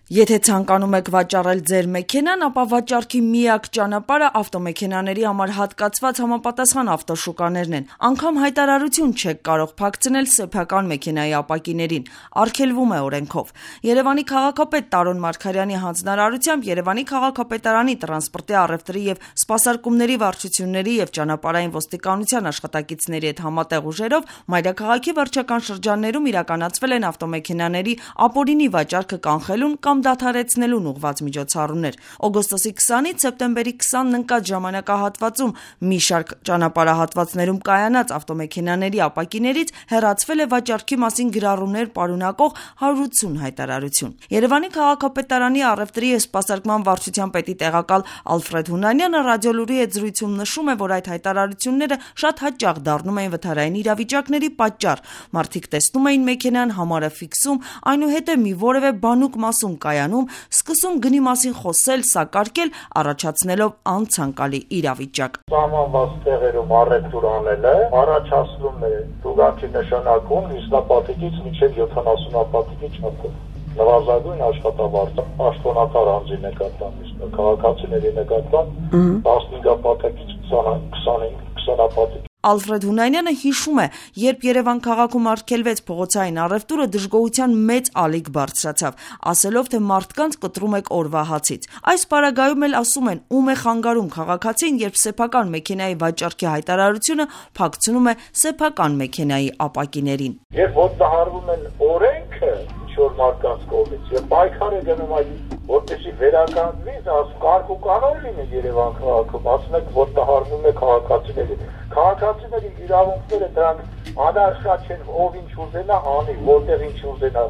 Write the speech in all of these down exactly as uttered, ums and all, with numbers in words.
Եթե ցանկանում եք վաճառել ձեր մեքենան, ապա վաճառքի միակ ճանապարհը ավտոմեքենաների համար հատկացված համապատասխան ավտոշուկաներն են։ Անգամ հայտարարություն չեք կարող փակցնել սեփական մեքենայի ապակիներին, արգելվում է օրենքով։ Երևանի քաղաքապետ Տարոն Մարգարյանի հանձնարարությամբ Երևանի քաղաքապետարանի տրանսպորտի առևտրի եւ սպասարկումների վարչությունների եւ ճանապարհային ոստիկանության աշխատակիցների հետ համատեղ ուժերով մայրաքաղաքի վարչական շրջաններում իրականացվել են ավտոմեքենաների ապօրինի վաճառքը կանխելուն կամ դադարեցնելուն ուղղված միջոցառումներ։ Օգոստոսի քսանից սեպտեմբերի քսանն ընկած ժամանակահատվածում մի շարք ճանապարհահատվածներում կայանած ավտոմեքենաների ապակիներից հեռացվել է վաճառքի մասին գրառումներ պարունակող հարյուր ութսուն հայտարարություն։ Երևանի քաղաքապետարանի առևտրի եւ սպասարկման վարչության պետի տեղակալ Ալֆրեդ Հունանյանը ռադիոլուրի հետ զրույցում նշում է, որ այդ հայտարարությունները շատ հաճախ դառնում էին վթարային իրավիճակների պատճառ։ Մարդիկ տեսնում էին մեքենան, համարը ֆիքսում, այնուհետև մի որևէ բանուկ մասում կայանում, սկսում գնի մասին խոսել, սակարկել, առաջացնելով անցանկալի իրավիճակ։ Սահմանված տեղերում առևտուր անելը առաջացնում է տուգանքի նշանակում ինստապատիկից մինչև յոթանասունապատիկի չափով։ Նվազագույն աշխատավարձ պաշտոնատար անձի նկատմամբ, քաղաքացիների նկատմամբ տասնհինգապատիկից քսանապատիկ։ Ալֆրեդ Հունանյանը հիշում է, երբ Երևան քաղաքում արգելվեց փողոցային առևտուրը, դժգոհության մեծ ալիք բարձրացավ, ասելով, թե մարդկանց կտրում եք օրվա հացից։ Այս պարագայում էլ ասում են, ում է խանգարում քաղաքացին, երբ սեփական մեքենայի վաճառքի հայտարարությունը փակցնում է սեփական մեքենայի ապակիներին։ Երբ ոտնահարվում են օրենքը ինչ-որ մարդկանց կողմից եւ պայքար է գնում այդ, որպեսզի վերականգնվի, կարգ ու կանոն լինի Երևան քաղաքում, ասում եք ոտնահարվում է քաղաքացիների։ Քաղաքացիների իրավունքները դրանք անարշատ չեն, ով ինչ ուզենա անի, որտեղ ինչ ուզենա։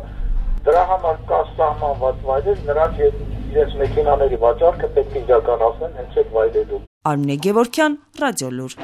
Դրա համար կա սահմանված վայրեր, նրանք իրենց մեքենաների վաճառքը պետք է իրականացնեն հենց այդ վայրերում։ Արմինե Գևորգյան, Ռադիոլուր։